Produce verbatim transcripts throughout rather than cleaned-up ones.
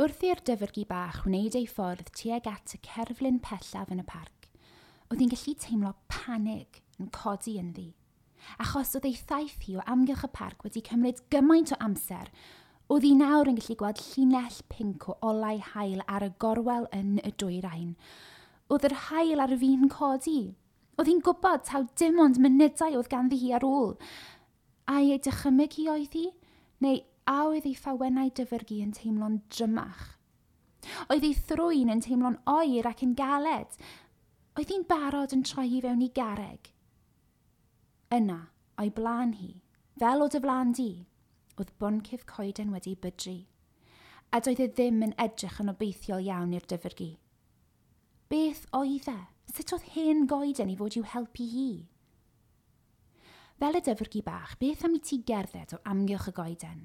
Wrth i'r dyfrgi bach wneud ei ffordd tuag at y cerflun pellaf yn y parc, oedd hi'n gallu teimlo panig yn codi ynddi. Achos oedd ei thaith hi o amgylch y parc wedi cymryd gymaint o amser, oedd hi nawr yn gallu gweld llinell pinc o olau haul ar y gorwel yn y dwyrain. Oedd yr haul ar fin codi. Oedd hi'n gwybod taw dim ond munudau oedd ganddi hi ar ôl. Ai ei dychymyg hi oedd hi? Neu a oedd ei ffawennau dyfrgi yn teimlo'n drymach? Oedd ei thrwyn yn teimlo'n oer ac yn galed? Oedd hi'n barod yn troi hi fewn i garreg? Yna, o'i blaen hi, fel o dy flaen di, oedd boncyff coeden wedi bydru, a doedd e ddim yn edrych yn obeithiol iawn i'r dyfrgi. Beth oedd e? Sut oedd hen goeden i fod i'w helpu hi? Fel y dyfrgi bach, beth am i ti gerdded o amgylch y goeden?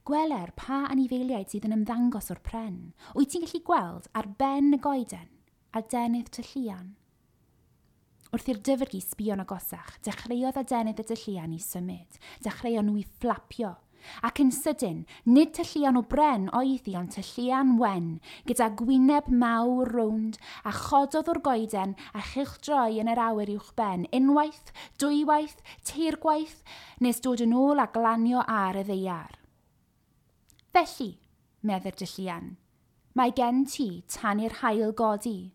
Gweler pa anifeiliaid sydd yn ymddangos o'r pren. Wyt ti'n gallu gweld ar ben y goeden adenydd tylluan? Wrth i'r dyfrgi sbio'n agosach, dechreuodd adenydd y tylluan i symud. Dechreuon nhw i fflapio. Ac yn sydyn, nid tylluan o bren oedd hi, ond tylluan wen, gyda gwyneb mawr rownd, a chododd o'r goeden a chylchdroi yn yr awyr uwch ben, unwaith, dwywaith, teirgwaith, nes dod yn ôl a glanio ar y ddaear. Felly, medde'r dylluan, mae gen ti tan i'r haul godi.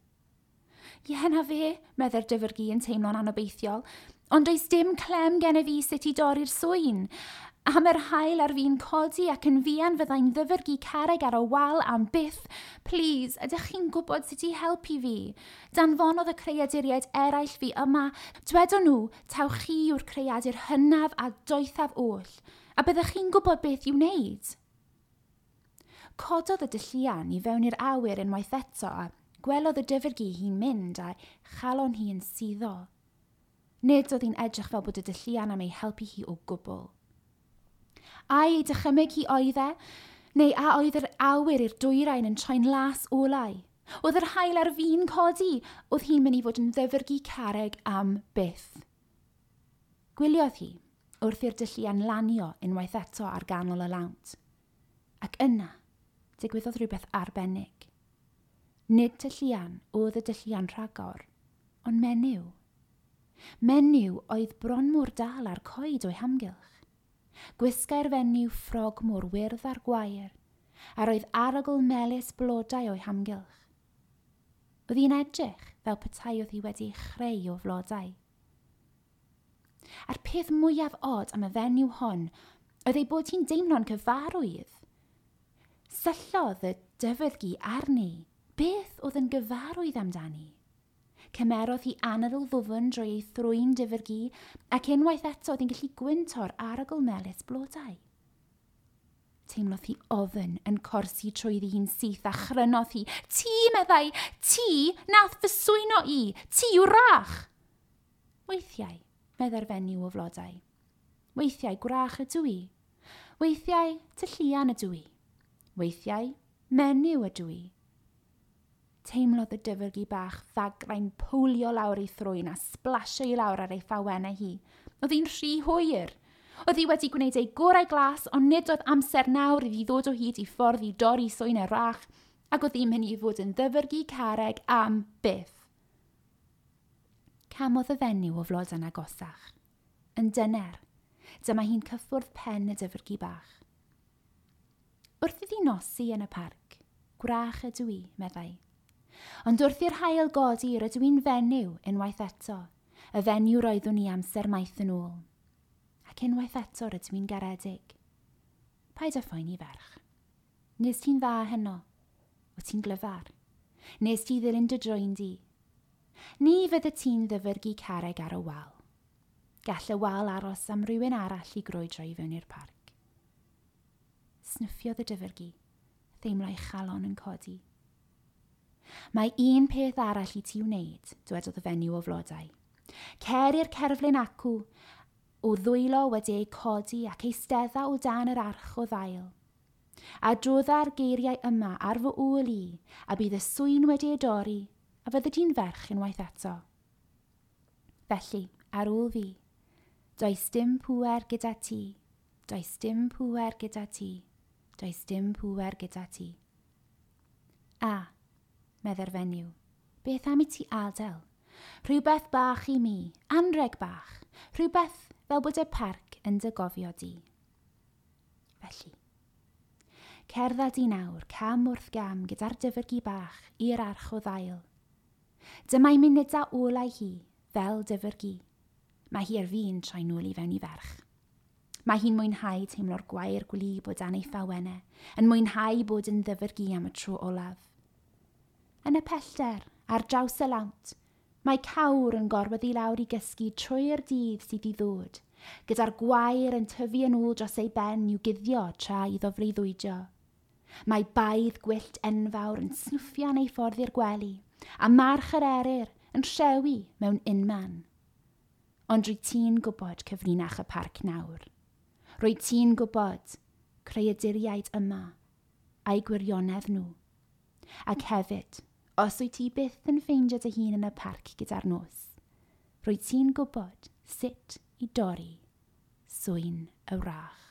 Ie, na fe, medde'r dyfrgi yn teimlo'n anobeithiol, ond does dim clem gen i fi sut i dorri'r swyn. Am yr haul ar fin codi ac yn fuan fyddai'n ddyfrgi carreg ar y wal am byth. Plîs, ydych chi'n gwybod sut i helpu fi? Danfonodd y creaduriaid eraill fi yma. Dwedon nhw, taw chi yw'r creadur hynaf a doethaf oll, a byddech chi'n gwybod beth i'w wneud. Cododd y dylluan i fewn i'r awyr unwaith eto a gwelodd y dyfrgi hi'n mynd a chalon hi yn suddo. Nid oedd hi'n edrych fel bod y dylluan am ei helpu hi o gwbl. Ai ei dychymyg hi oedd e, neu a oedd yr awyr i'r dwyrain yn troi'n las olau? Oedd yr haul ar fin codi, oedd hi'n mynd i fod yn ddyfrgi carreg am byth. Gwyliodd hi wrth i'r dylluan lanio unwaith eto ar ganol y lawnt. Ac yna, digwyddodd rhywbeth arbennig. Nid tylluan oedd y dylluan rhagor, ond menyw. Menyw oedd bron mor dal ar coed o'i hamgylch. Gwisgai'r fenyw ffrog mor wyrdd ar gwair, a roedd arogl melys blodau o'i hamgylch. Oedd hi'n edrych fel petai oedd hi wedi chreu o flodau. A'r peth mwyaf od am y fenyw hon oedd ei bod hi'n deimlo'n cyfarwydd. Syllodd y dyfrgi arni. Beth oedd yn gyfarwydd amdani? Cymerodd hi anadl ddwfn drwy ei thrwyn dyfrgi ac unwaith eto oedd hi'n gallu gwynto'r arogl melys blodau. Teimlodd hi ofn yn corsi trwyddi hi'n syth a chrynodd hi. Ti, meddai, ti nath fy swyno i, ti yw wrach. Weithiau, meddai'r fenyw o flodau. Weithiau gwrach ydw i. Weithiau tylluan ydw i. Weithiau menyw ydw i. Teimlodd y dyfrgi bach ddagrau'n powlio lawr ei thrwyn a splasio i lawr ar ei ffawennau hi. Oedd hi'n rhy hwyr. Oedd hi wedi gwneud ei gorau glas, ond nid oedd amser nawr iddi ddod o hyd i ffordd i dorri swyn y wrach, ac oedd hi'n mynd i fod yn ddyfrgi carreg am byth. Camodd y fenyw o flodau'n agosach. Yn dyner, dyma hi'n cyffwrdd pen y dyfrgi bach. Wrth iddi nosi yn y parc, gwrach ydw i, meddai. Ond wrth i'r haul godi, rydw i'n fenyw unwaith eto, y fenyw roeddwn i amser maith yn ôl. Ac unwaith eto rydw i'n garedig. Paid â phoeni ferch. Nes ti'n dda heno? Wyt ti'n glyfar? Nes ti ddilyn dy drwyn di? Ni fydde ti'n ddyfrgi carreg ar y wal. Gall y wal aros am rywun arall i grwydro i fewn i'r parc. Snuffiodd y dyfrgi, theimlo'i chalon yn codi. Mae un peth arall i ti wneud, dwedodd y fenyw o flodau. Cer i'r cerflun acw, o ddwylo wedi ei codi ac eistedda o dan yr arch o ddail. A drodda'r geiriau yma ar fy ôl i, a bydd y swyn wedi ei dorri, a fyddi di'n ferch unwaith eto. Felly, ar ôl fi, does dim pŵer gyda ti, does dim pŵer gyda ti, does dim pŵer gyda ti. A, medde'r fenyw, beth am i ti adael? Rhywbeth bach i mi, anreg bach, rhywbeth fel bod y parc yn dy gofio di. Felly, cerdded i nawr, cam wrth gam gyda'r dyfrgi bach i'r arch o ddail. Dyma'i munudau olau hi, fel dyfrgi. Mae hi ar fin troi nôl i fewn i ferch. Mae hi'n mwynhau teimlo'r gwair gwlyb o dan ei phawennau, yn mwynhau bod yn ddyfrgi am y tro olaf. Yn y pellter, ar draws y lawnt, mae cawr yn gorwedd i lawr i gysgu trwy'r dydd sydd i ddod, gyda'r gwair yn tyfu yn ôl dros ei ben i'w guddio tra iddo freuddwydio. Mae baedd gwyllt enfawr yn snwffian ei ffordd i'r gwely, a march yr eryr yn rhewi mewn unman. Ond rwy ti'n gwybod cyfrinach y parc nawr. Rwy ti'n gwybod creaduriaid yma a'i gwirionedd nhw. Ac hefyd, os wyt ti byth yn ffeindio dy hun yn y parc gyda'r nos, rwy ti'n gwybod sut i dorri swyn y wrach.